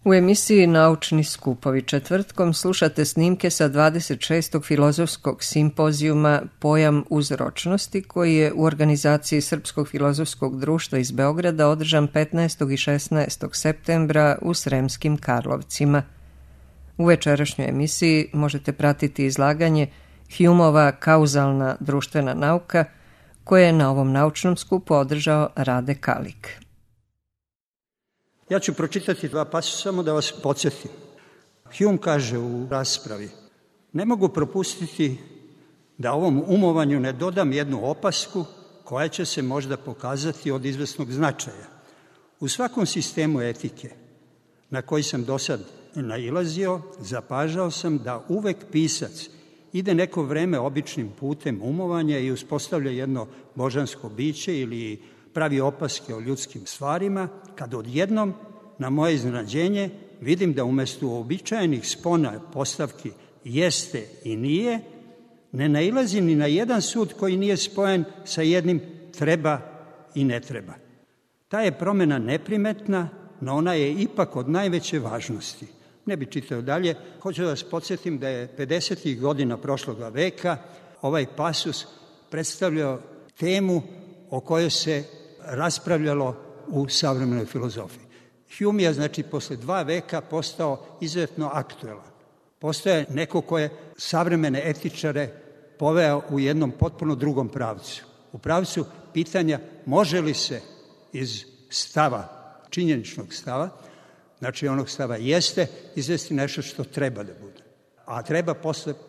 U emisiji Naučni skupovi četvrtkom slušate snimke sa 26. filozofskog simpozijuma Pojam uzročnosti, koji je u organizaciji Srpskog filozofskog društva iz Beograda održan 15. i 16. septembra u Sremskim Karlovcima. U večerašnjoj emisiji možete pratiti izlaganje Humeova kauzalna društvena nauka, koje je na ovom naučnom skupu održao Rade Kalik. Ja ću pročitati dva pasusa samo da vas podsjetim. Hume kaže u raspravi: ne mogu propustiti da ovom umovanju ne dodam jednu opasku koja će se možda pokazati od izvesnog značaja. U svakom sistemu etike na koji sam do sad nailazio, zapažao sam da uvek pisac ide neko vreme običnim putem umovanja i uspostavlja jedno božansko biće ili pravi opaske o ljudskim stvarima, kad odjednom, na moje iznenađenje, vidim da umesto uobičajenih spona postavki jeste i nije, ne nailazi ni na jedan sud koji nije spojen sa jednim treba i ne treba. Ta je promena neprimetna, no ona je ipak od najveće važnosti. Ne bi čitao dalje, hoću da vas podsjetim da je 50. godina prošloga veka ovaj pasus predstavljao temu o kojoj se raspravljalo u savremenoj filozofiji. Hume je, znači, posle 2 veka postao izuzetno aktuelan. Postao je neko ko je savremene etičare poveo u jednom potpuno drugom pravcu. U pravcu pitanja može li se iz stava, činjeničnog stava, znači onog stava jeste, izvesti nešto što treba da bude. A treba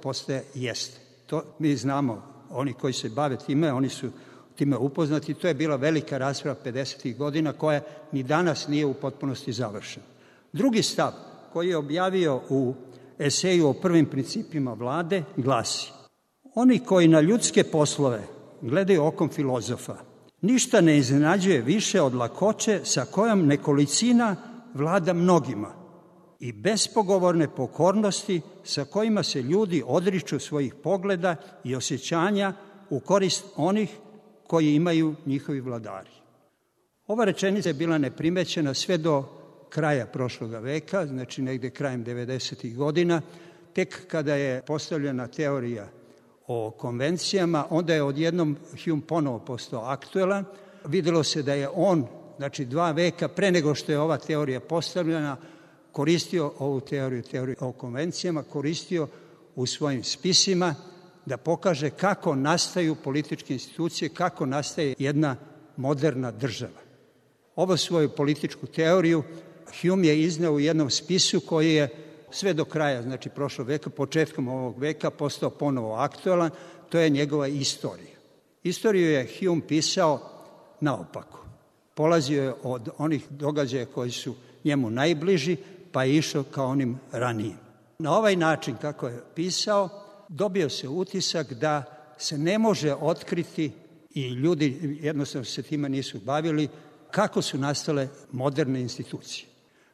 postaje jeste. To mi znamo, oni koji se bave time, oni su time upoznati. To je bila velika rasprava 50. godina koja ni danas nije u potpunosti završena. Drugi stav koji je objavio u eseju o prvim principima vlade glasi: oni koji na ljudske poslove gledaju okom filozofa, ništa ne iznenađuje više od lakoće sa kojom nekolicina vlada mnogima i bespogovorne pokornosti sa kojima se ljudi odriču svojih pogleda i osjećanja u korist onih koji imaju njihovi vladari. Ova rečenica je bila neprimećena sve do kraja prošloga veka, znači negde krajem 90. godina, tek kada je postavljena teorija o konvencijama, onda je odjednom Hume ponovo postao aktuelan. Videlo se da je on, znači 2 veka pre nego što je ova teorija postavljena, koristio ovu teoriju o konvencijama, koristio u svojim spisima da pokaže kako nastaju političke institucije, kako nastaje jedna moderna država. Ovu svoju političku teoriju Hume je izneo u jednom spisu koji je sve do kraja, znači prošlog veka, početkom ovog veka, postao ponovo aktuelan. To je njegova istorija. Istoriju je Hume pisao naopako. Polazio je od onih događaja koji su njemu najbliži, pa je išao ka onim ranijim. Na ovaj način, kako je pisao, dobio se utisak da se ne može otkriti, i ljudi jednostavno se time nisu bavili, kako su nastale moderne institucije.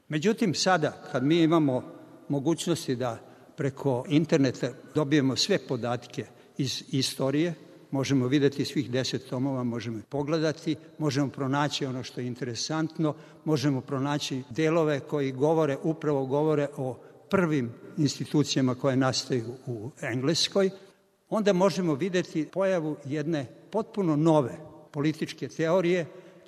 Međutim, sada, kad mi imamo mogućnosti da preko interneta dobijemo sve podatke iz istorije, možemo videti svih 10 tomova, možemo pogledati, možemo pronaći ono što je interesantno, možemo pronaći delove koji upravo govore o prvim institucijama koje nastaju u Engleskoj, onda možemo videti pojavu jedne potpuno nove političke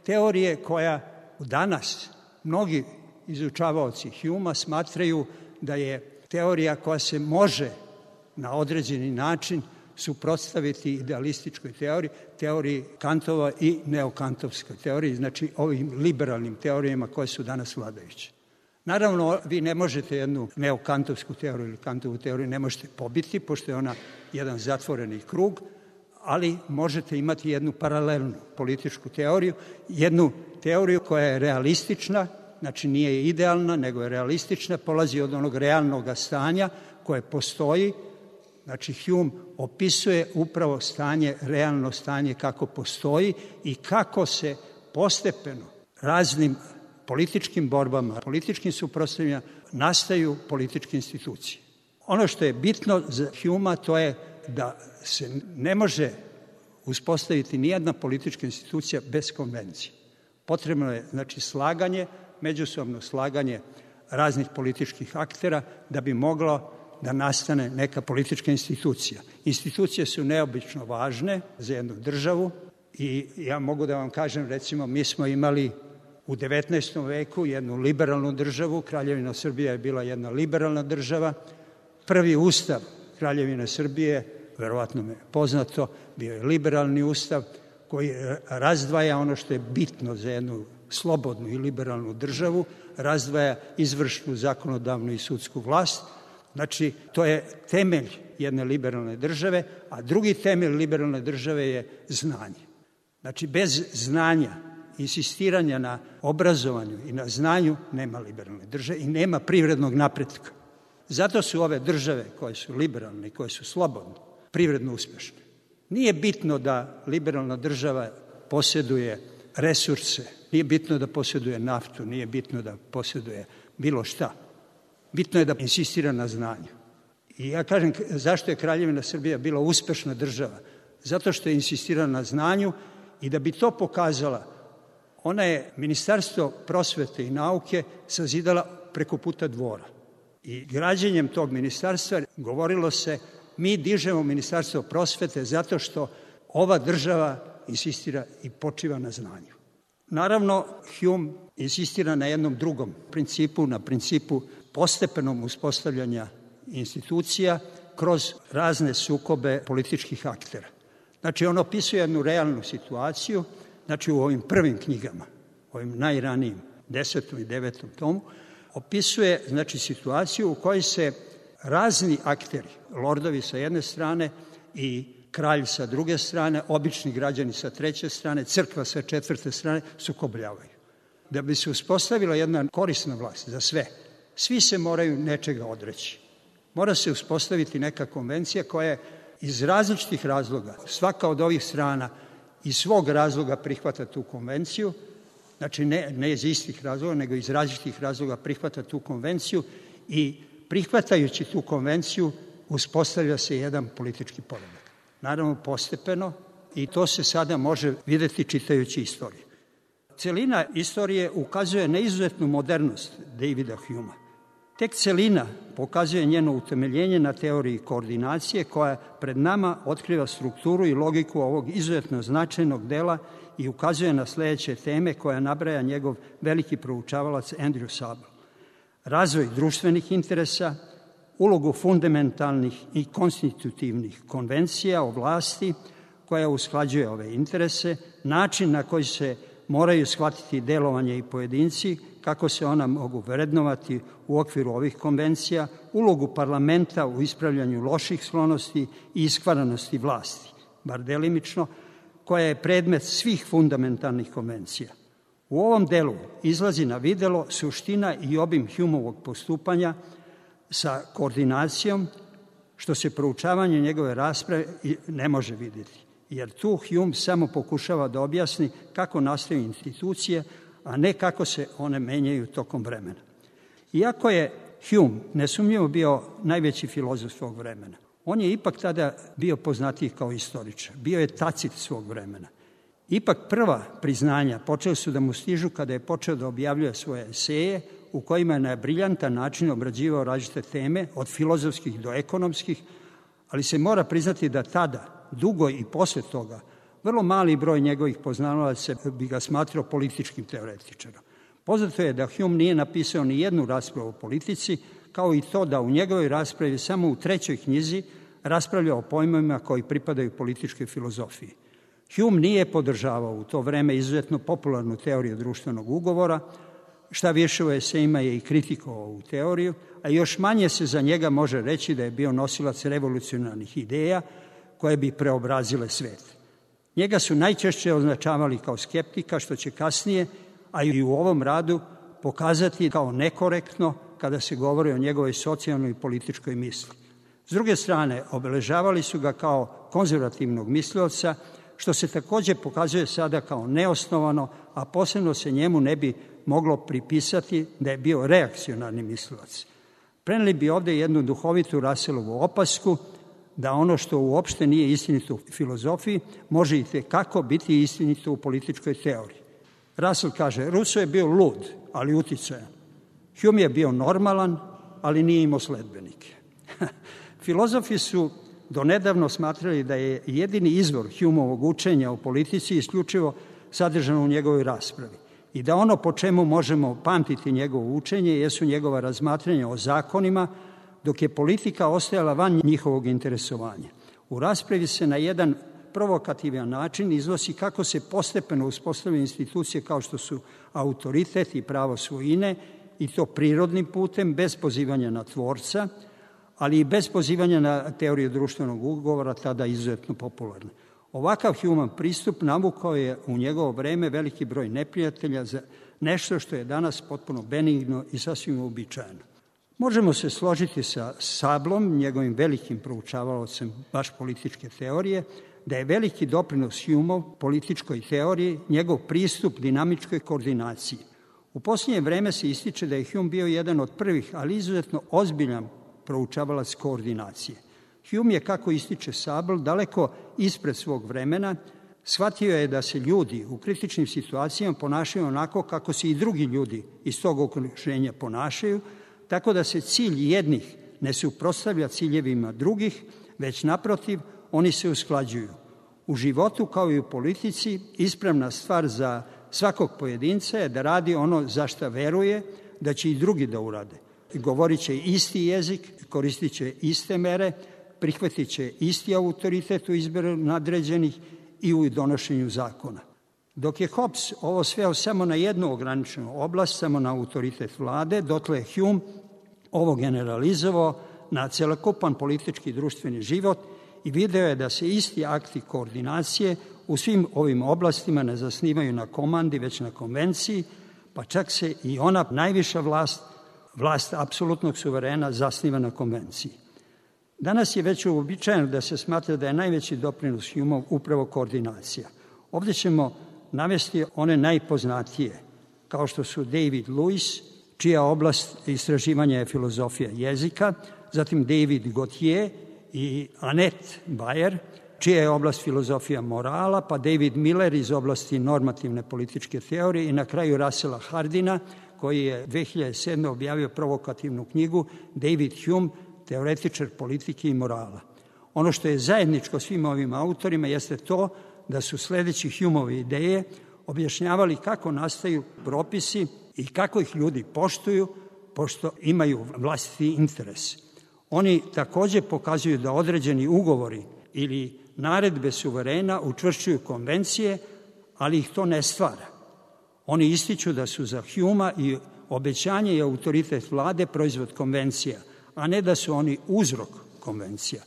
teorije koja danas mnogi izučavaoci Humea smatraju da je teorija koja se može na određeni način suprotstaviti idealističkoj teoriji Kantova i neokantovskoj teoriji, znači ovim liberalnim teorijama koje su danas vladajuće. Naravno, vi ne možete jednu neokantovsku teoriju ili Kantovu teoriju ne možete pobiti, pošto je ona jedan zatvoreni krug, ali možete imati jednu paralelnu političku teoriju, jednu teoriju koja je realistična, znači nije idealna, nego je realistična, polazi od onog realnog stanja koje postoji. Znači, Hume opisuje upravo realno stanje kako postoji i kako se postepeno raznim političkim borbama, političkim suprotstavljanjima nastaju političke institucije. Ono što je bitno za Humea to je da se ne može uspostaviti nijedna politička institucija bez konvencije. Potrebno je, znači, slaganje, međusobno slaganje raznih političkih aktera da bi moglo da nastane neka politička institucija. Institucije su neobično važne za jednu državu i ja mogu da vam kažem, recimo, mi smo imali u 19. veku jednu liberalnu državu, Kraljevina Srbija je bila jedna liberalna država. Prvi ustav Kraljevine Srbije, verovatno me poznato, bio je liberalni ustav koji razdvaja ono što je bitno za jednu slobodnu i liberalnu državu, razdvaja izvršnu, zakonodavnu i sudsku vlast. Znači, to je temelj jedne liberalne države, a drugi temelj liberalne države je znanje. Znači, bez znanja, insistiranja na obrazovanju i na znanju nema liberalne države i nema privrednog napretka. Zato su ove države koje su liberalne i koje su slobodne privredno uspešne. Nije bitno da liberalna država posjeduje resurse, nije bitno da posjeduje naftu, nije bitno da posjeduje bilo šta. Bitno je da insistira na znanju. I ja kažem, zašto je Kraljevina Srbija bila uspešna država? Zato što je insistirala na znanju i da bi to pokazala, ona je Ministarstvo prosvete i nauke sazidala preko puta dvora. I građenjem tog ministarstva govorilo se, mi dižemo Ministarstvo prosvete zato što ova država insistira i počiva na znanju. Naravno, Hume insistira na jednom drugom principu, na principu postepenom uspostavljanja institucija kroz razne sukobe političkih aktera. Znači, on opisuje jednu realnu situaciju, znači u ovim prvim knjigama, ovim najranijim, 10. i 9. tomu, opisuje, znači, situaciju u kojoj se razni akteri, lordovi sa jedne strane i kralj sa druge strane, obični građani sa treće strane, crkva sa četvrte strane, sukobljavaju. Da bi se uspostavila jedna korisna vlast za sve, svi se moraju nečega odreći. Mora se uspostaviti neka konvencija koja je iz različitih razloga, svaka od ovih strana iz svog razloga prihvata tu konvenciju, znači ne iz istih razloga, nego iz različitih razloga prihvata tu konvenciju i prihvatajući tu konvenciju uspostavlja se jedan politički poredak. Naravno postepeno i to se sada može videti čitajući istoriju. Celina istorije ukazuje na izuzetnu modernost Davida Humea. Tek celina pokazuje njeno utemeljenje na teoriji koordinacije koja pred nama otkriva strukturu i logiku ovog izuzetno značajnog dela i ukazuje na sledeće teme koja nabraja njegov veliki proučavalac Andrew Sable. Razvoj društvenih interesa, ulogu fundamentalnih i konstitutivnih konvencija o vlasti koja usklađuje ove interese, način na koji se moraju shvatiti delovanje i pojedinci, kako se ona mogu vrednovati u okviru ovih konvencija, ulogu parlamenta u ispravljanju loših sklonosti i iskvaranosti vlasti, bar delimično, koja je predmet svih fundamentalnih konvencija. U ovom delu izlazi na videlo suština i obim Humeovog postupanja sa koordinacijom, što se proučavanje njegove rasprave ne može vidjeti, jer tu Hume samo pokušava da objasni kako nastaju institucije, a ne kako se one menjaju tokom vremena. Iako je Hume nesumnjivo bio najveći filozof svog vremena, on je ipak tada bio poznatiji kao istoričar, bio je Tacit svog vremena. Ipak prva priznanja počeli su da mu stižu kada je počeo da objavljuje svoje eseje u kojima je na briljantan način obrađivao različite teme, od filozofskih do ekonomskih, ali se mora priznati da tada, dugo i posle toga, vrlo mali broj njegovih poznavalaca bi ga smatrao političkim teoretičarom. Poznato je da Hume nije napisao ni jednu raspravu o politici, kao i to da u njegovoj raspravi samo u 3. knjizi raspravlja o pojmovima koji pripadaju političkoj filozofiji. Hume nije podržavao u to vreme izuzetno popularnu teoriju društvenog ugovora, šta više u esejima je i kritikovao ovu teoriju, a još manje se za njega može reći da je bio nosilac revolucionarnih ideja koje bi preobrazile svet. Njega su najčešće označavali kao skeptika, što će kasnije, a i u ovom radu, pokazati kao nekorektno kada se govori o njegovoj socijalnoj i političkoj misli. S druge strane, obeležavali su ga kao konzervativnog mislioca, što se takođe pokazuje sada kao neosnovano, a posebno se njemu ne bi moglo pripisati da je bio reakcionarni mislilac. Preneli bi ovde jednu duhovitu Russellovu opasku da ono što uopšte nije istinito u filozofiji može i tekako biti istinito u političkoj teoriji. Russell kaže, Rousseau je bio lud, ali uticajan. Hume je bio normalan, ali nije imao sledbenike. Filozofi su donedavno smatrali da je jedini izvor Humeovog učenja o politici isključivo sadržano u njegovoj raspravi i da ono po čemu možemo pamtiti njegovo učenje jesu njegova razmatranja o zakonima, dok je politika ostajala van njihovog interesovanja. U raspravi se na jedan provokativan način iznosi kako se postepeno uspostavljaju institucije kao što su autoritet i pravo svojine, i to prirodnim putem, bez pozivanja na tvorca, ali i bez pozivanja na teoriju društvenog ugovora, tada izuzetno popularna. Ovakav Humeov pristup navukao je u njegovo vreme veliki broj neprijatelja za nešto što je danas potpuno benigno i sasvim uobičajeno. Možemo se složiti sa Sablom, njegovim velikim proučavaocem baš političke teorije, da je veliki doprinos Humeov političkoj teoriji njegov pristup dinamičkoj koordinaciji. U posljednje vreme se ističe da je Hume bio jedan od prvih, ali izuzetno ozbiljan proučavalac koordinacije. Hume je, kako ističe Sabl, daleko ispred svog vremena. Shvatio je da se ljudi u kritičnim situacijama ponašaju onako kako se i drugi ljudi iz tog okruženja ponašaju, tako da se cilj jednih ne suprotstavlja ciljevima drugih, već naprotiv, oni se usklađuju. U životu, kao i u politici, ispravna stvar za svakog pojedinca je da radi ono za šta veruje, da će i drugi da urade. Govorit će isti jezik, koristit će iste mere, prihvatit će isti autoritet u izboru nadređenih i u donošenju zakona. Dok je Hobbes ovo sveo samo na jednu ograničenu oblast, samo na autoritet vlade, dotle je Hume ovo generalizovao na celokupan politički i društveni život i video je da se isti akti koordinacije u svim ovim oblastima ne zasnivaju na komandi, već na konvenciji, pa čak se i ona najviša vlast apsolutnog suverena, zasniva na konvenciji. Danas je već uobičajeno da se smatra da je najveći doprinos Humeov upravo koordinacija. Ovdje ćemo navesti one najpoznatije, kao što su David Lewis, čija oblast istraživanja je filozofija jezika, zatim David Gautier i Annette Bayer, čija je oblast filozofija morala, pa David Miller iz oblasti normativne političke teorije i na kraju Russella Hardina, koji je 2007. objavio provokativnu knjigu David Hume, teoretičar politike i morala. Ono što je zajedničko svim ovim autorima jeste to da su sledeći Humeove ideje objašnjavali kako nastaju propisi i kako ih ljudi poštuju, pošto imaju vlastiti interes. Oni takođe pokazuju da određeni ugovori ili naredbe suverena učvršćuju konvencije, ali ih to ne stvara. Oni ističu da su za Humea i obećanje i autoritet vlade proizvod konvencija, a ne da su oni uzrok konvencija.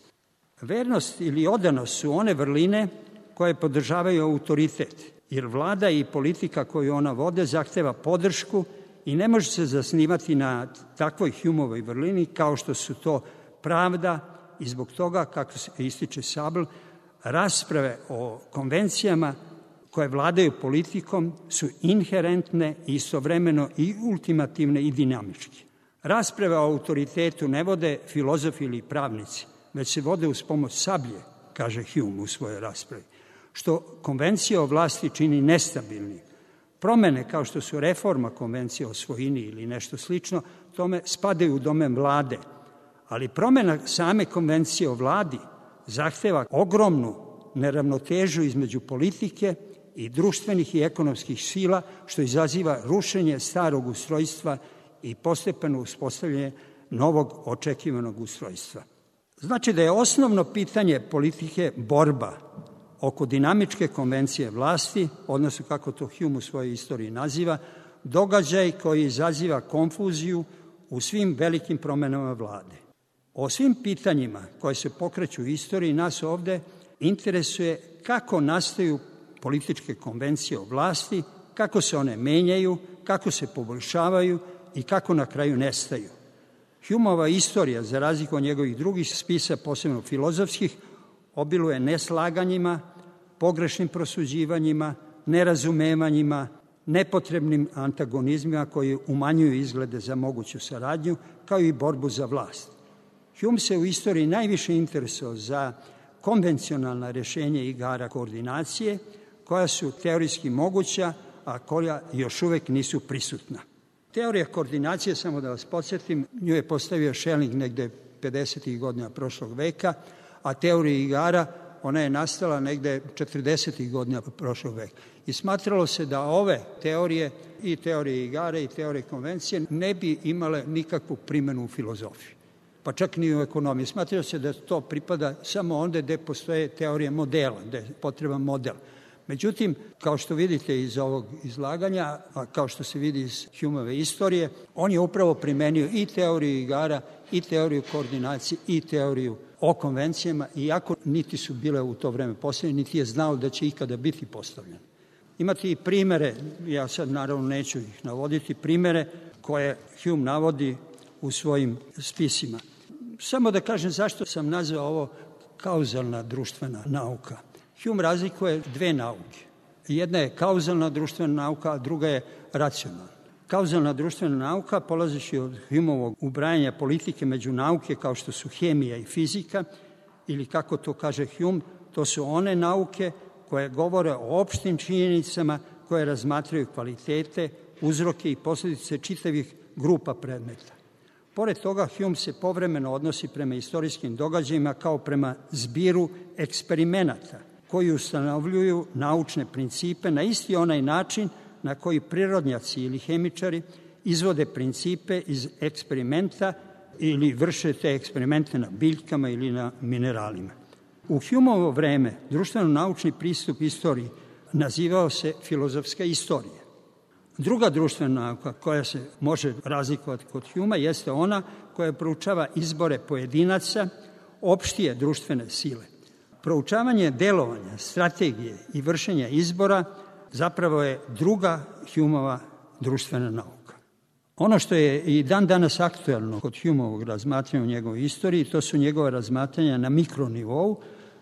Vernost ili odanost su one vrline koje podržavaju autoritet, jer vlada i politika koju ona vode zahteva podršku i ne može se zasnivati na takvoj Humeovoj vrlini kao što su to pravda i zbog toga, kako se ističe Sabl, rasprave o konvencijama koje vladaju politikom su inherentne i istovremeno i ultimativne i dinamičke. Rasprave o autoritetu ne vode filozofi ili pravnici, već se vode uz pomoć sablje, kaže Hume u svojoj raspravi, što konvencije o vlasti čini nestabilnim. Promene kao što su reforma konvencije o svojini ili nešto slično, tome spadaju u domen vlade, ali promena same konvencije o vladi zahteva ogromnu neravnotežu između politike i društvenih i ekonomskih sila, što izaziva rušenje starog ustrojstva i postepeno uspostavljanje novog očekivanog ustrojstva. Znači da je osnovno pitanje politike borba oko dinamičke konvencije vlasti, odnosno kako to Hume u svojoj istoriji naziva, događaj koji izaziva konfuziju u svim velikim promenama vlade. O svim pitanjima koje se pokreću u istoriji nas ovde interesuje kako nastaju političke konvencije o vlasti, kako se one menjaju, kako se poboljšavaju i kako na kraju nestaju. Humeova istorija, za razliku od njegovih drugih spisa, posebno filozofskih, obiluje neslaganjima, pogrešnim prosuđivanjima, nerazumevanjima, nepotrebnim antagonizmima koji umanjuju izglede za moguću saradnju, kao i borbu za vlast. Hume se u istoriji najviše interesovao za konvencionalna rešenja igara koordinacije, koja su teorijski moguća, a koja još uvek nisu prisutna. Teorija koordinacije, samo da vas podsjetim, nju je postavio Schelling negde 50. godina prošlog veka, a teorija igara, ona je nastala negde 40. godina prošlog veka. I smatralo se da ove teorije, i teorije igara i teorije konvencije, ne bi imale nikakvu primjenu u filozofiji, pa čak ni u ekonomiji. Smatralo se da to pripada samo onda gde postoje teorije modela, gde je potreban model. Međutim, kao što vidite iz ovog izlaganja, a kao što se vidi iz Humeove istorije, on je upravo primenio i teoriju igara, i teoriju koordinacije, i teoriju o konvencijama, iako niti su bile u to vreme postavljene, niti je znao da će ikada biti postavljene. Imate i primere, ja sad naravno neću ih navoditi, primere koje Hume navodi u svojim spisima. Samo da kažem zašto sam nazvao ovo kauzalna društvena nauka. Hume razlikuje dve nauke. Jedna je kauzalna društvena nauka, a druga je racionalna. Kauzalna društvena nauka, polazeći od Humeovog ubrajanja politike među nauke kao što su hemija i fizika, ili kako to kaže Hume, to su one nauke koje govore o opštim činjenicama, koje razmatraju kvalitete, uzroke i posljedice čitavih grupa predmeta. Pored toga, Hume se povremeno odnosi prema istorijskim događajima kao prema zbiru eksperimenata koji ustanovljuju naučne principe na isti onaj način na koji prirodnjaci ili hemičari izvode principe iz eksperimenta ili vrše te eksperimente na biljkama ili na mineralima. U Humeovo vreme društveno-naučni pristup istoriji nazivao se filozofska istorija. Druga društvena nauka koja se može razlikovati kod Humea jeste ona koja proučava izbore pojedinaca, opštije društvene sile. Proučavanje delovanja, strategije i vršenja izbora zapravo je druga Humeova društvena nauka. Ono što je i dan danas aktuelno kod Humeovog razmatranja u njegovoj istoriji, to su njegove razmatranja na mikronivou,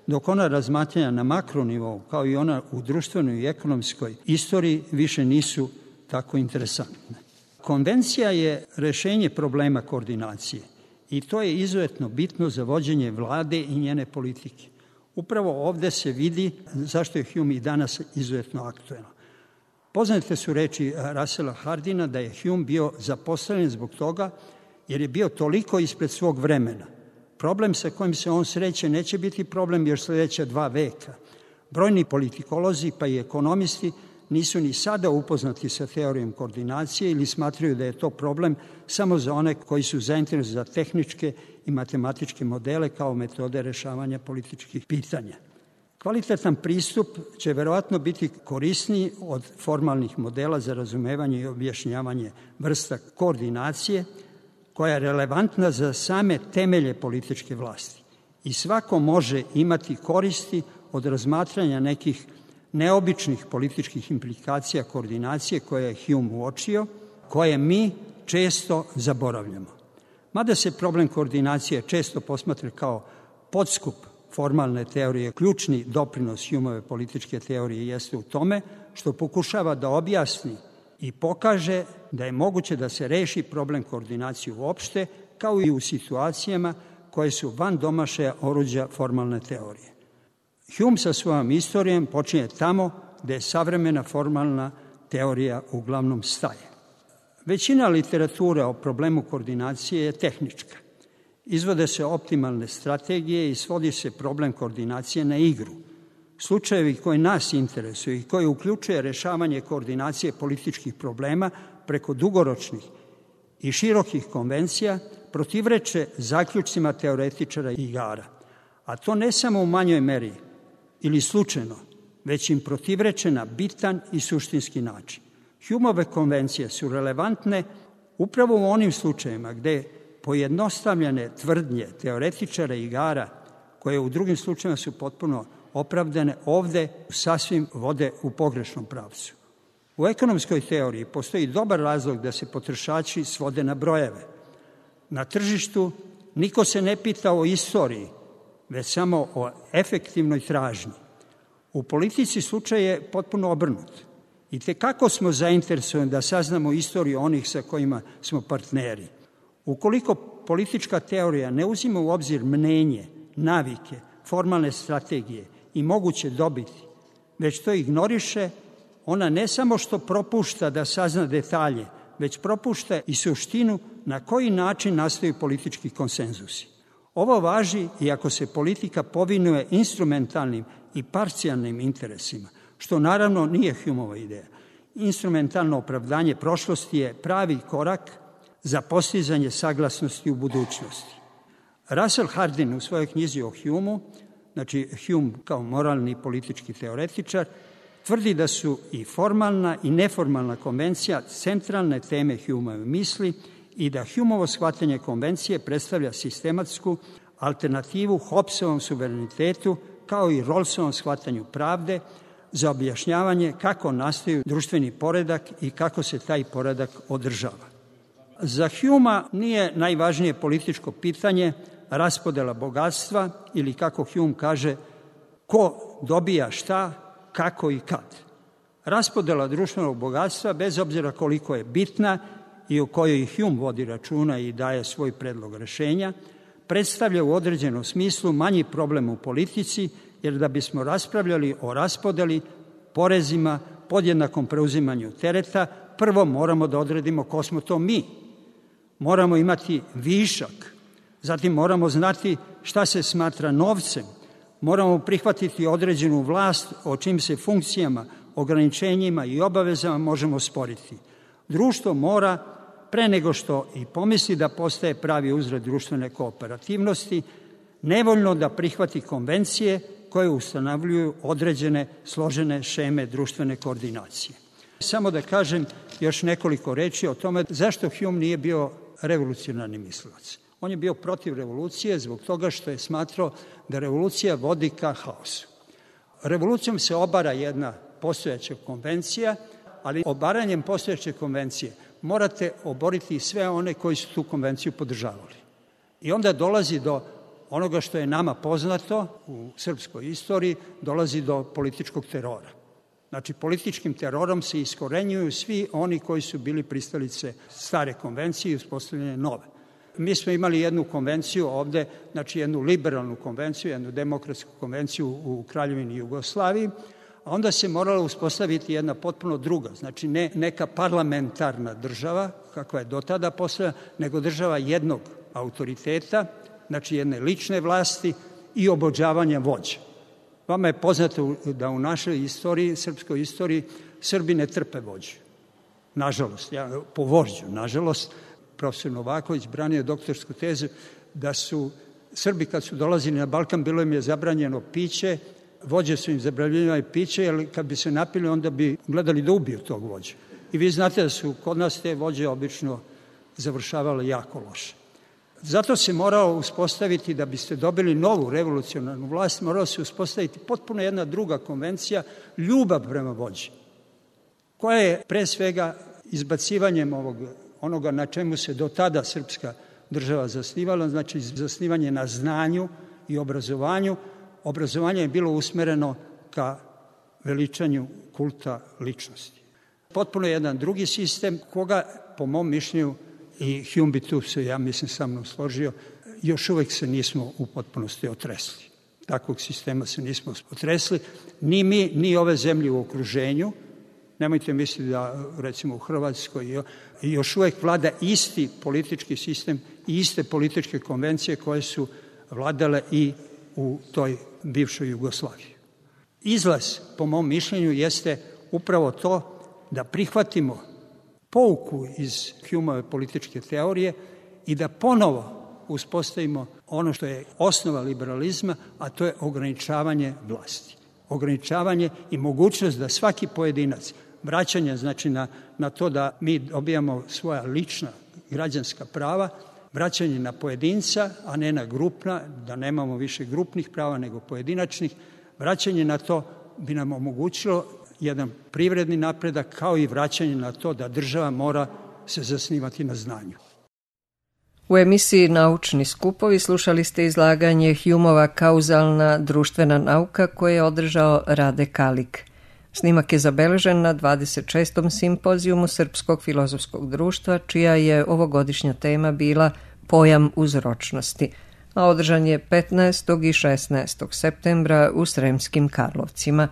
dok ona razmatranja na makronivou, kao i ona u društvenoj i ekonomskoj istoriji, više nisu tako interesantne. Konvencija je rešenje problema koordinacije i to je izuzetno bitno za vođenje vlade i njene politike. Upravo ovde se vidi zašto je Hume i danas izuzetno aktuelan. Poznate su reči Russella Hardina da je Hume bio zapostavljen zbog toga jer je bio toliko ispred svog vremena. Problem sa kojim se on sreće neće biti problem još sledeća 2 veka. Brojni politikolozi pa i ekonomisti nisu ni sada upoznati sa teorijom koordinacije ili smatraju da je to problem samo za one koji su zainteresovani za tehničke i matematičke modele kao metode rešavanja političkih pitanja. Kvalitetan pristup će verovatno biti korisniji od formalnih modela za razumevanje i objašnjavanje vrsta koordinacije koja je relevantna za same temelje političke vlasti. I svako može imati koristi od razmatranja nekih neobičnih političkih implikacija koordinacije koje je Hume uočio, koje mi često zaboravljamo. Mada se problem koordinacije često posmatra kao podskup formalne teorije, ključni doprinos Humeove političke teorije jeste u tome što pokušava da objasni i pokaže da je moguće da se reši problem koordinacije uopšte, kao i u situacijama koje su van domašaja oruđa formalne teorije. Hume sa svojom istorijom počinje tamo gde je savremena formalna teorija uglavnom staje. Većina literature o problemu koordinacije je tehnička. Izvode se optimalne strategije i svodi se problem koordinacije na igru. Slučajevi koji nas interesuju i koji uključuje rešavanje koordinacije političkih problema preko dugoročnih i širokih konvencija protivreče zaključcima teoretičara igara. A to ne samo u manjoj meri ili slučajno, već im protivreče na bitan i suštinski način. Humeove konvencije su relevantne upravo u onim slučajevima gde pojednostavljene tvrdnje teoretičara igara, koje u drugim slučajevima su potpuno opravdane, ovde sasvim vode u pogrešnom pravcu. U ekonomskoj teoriji postoji dobar razlog da se potrošači svode na brojeve. Na tržištu niko se ne pita o istoriji, već samo o efektivnoj tražnji. U politici slučaj je potpuno obrnut. I tekako smo zainteresovani da saznamo istoriju onih sa kojima smo partneri. Ukoliko politička teorija ne uzima u obzir mnenje, navike, formalne strategije i moguće dobiti, već to ignoriše, ona ne samo što propušta da sazna detalje već propušta i suštinu na koji način nastaju politički konsenzusi. Ovo važi i ako se politika povinuje instrumentalnim i parcijalnim interesima, što naravno nije Humeova ideja. Instrumentalno opravdanje prošlosti je pravi korak za postizanje saglasnosti u budućnosti. Russell Hardin u svojoj knjizi o Humeu, znači Hume kao moralni i politički teoretičar, tvrdi da su i formalna i neformalna konvencija centralne teme Humeove misli i da Humeovo shvatanje konvencije predstavlja sistematsku alternativu Hobbesovom suverenitetu kao i Rawlsovom shvatanju pravde za objašnjavanje kako nastaju društveni poredak i kako se taj poredak održava. Za Humea nije najvažnije političko pitanje raspodela bogatstva ili, kako Hume kaže, ko dobija šta, kako i kad. Raspodela društvenog bogatstva, bez obzira koliko je bitna i o kojoj Hume vodi računa i daje svoj predlog rešenja, predstavlja u određenom smislu manji problem u politici, jer da bismo raspravljali o raspodeli, porezima, podjednakom preuzimanju tereta, prvo moramo da odredimo ko smo to mi. Moramo imati višak, zatim moramo znati šta se smatra novcem, moramo prihvatiti određenu vlast o čim se funkcijama, ograničenjima i obavezama možemo sporiti. Društvo mora, pre nego što i pomisli da postaje pravi uzred društvene kooperativnosti, nevoljno da prihvati konvencije koje ustanovljuju određene složene šeme društvene koordinacije. Samo da kažem još nekoliko reči o tome zašto Hume nije bio revolucionarni mislilac. On je bio protiv revolucije zbog toga što je smatrao da revolucija vodi ka haosu. Revolucijom se obara jedna postojeća konvencija, ali obaranjem postojeće konvencije morate oboriti sve one koji su tu konvenciju podržavali. I onda dolazi do onoga što je nama poznato u srpskoj istoriji, dolazi do političkog terora. Znači, političkim terorom se iskorenjuju svi oni koji su bili pristalice stare konvencije i uspostavljene nove. Mi smo imali jednu konvenciju ovde, znači jednu liberalnu konvenciju, jednu demokratsku konvenciju u Kraljevini Jugoslaviji, a onda se morala uspostaviti jedna potpuno druga, znači ne neka parlamentarna država, kakva je do tada postojala, nego država jednog autoriteta, znači jedne lične vlasti i obožavanja vođa. Vama je poznato da u našoj istoriji, srpskoj istoriji, Srbi ne trpe vođu. Nažalost, po vožđu, nažalost, profesor Novaković branio doktorsku tezu da su Srbi kad su dolazili na Balkan, bilo im je zabranjeno piće, vođe su im zabranjivali piće, jer kad bi se napili, onda bi gledali da ubiju tog vođa. I vi znate da su kod nas te vođe obično završavale jako loše. Zato se moralo uspostaviti, da biste dobili novu revolucionarnu vlast, moralo se uspostaviti potpuno jedna druga konvencija, ljubav prema vođi, koja je pre svega izbacivanjem onoga na čemu se do tada srpska država zasnivala, znači zasnivanje na znanju i obrazovanju. Obrazovanje je bilo usmereno ka veličanju kulta ličnosti. Potpuno jedan drugi sistem, koga, po mom mišljenju, i Hume bi tu se, ja mislim, sa mnom složio, još uvek se nismo u potpunosti otresli. Takvog sistema se nismo otresli, ni mi, ni ove zemlje u okruženju. Nemojte misliti da, recimo, u Hrvatskoj još uvek vlada isti politički sistem i iste političke konvencije koje su vladale i u toj bivšoj Jugoslaviji. Izlaz, po mom mišljenju, jeste upravo to da prihvatimo pouku iz Humeove političke teorije i da ponovo uspostavimo ono što je osnova liberalizma, a to je ograničavanje vlasti. Ograničavanje i mogućnost da svaki pojedinac, vraćanje znači na to da mi dobijamo svoja lična građanska prava, vraćanje na pojedinca, a ne na grupna, da nemamo više grupnih prava nego pojedinačnih, vraćanje na to bi nam omogućilo jedan privredni napredak, kao i vraćanje na to da država mora se zasnivati na znanju. U emisiji Naučni skupovi slušali ste izlaganje Humeova kauzalna društvena nauka koje je održao Rade Kalik. Snimak je zabeležen na 26. simpozijumu Srpskog filozofskog društva, čija je ovogodišnja tema bila pojam uzročnosti, a održan je 15. i 16. septembra u Sremskim Karlovcima.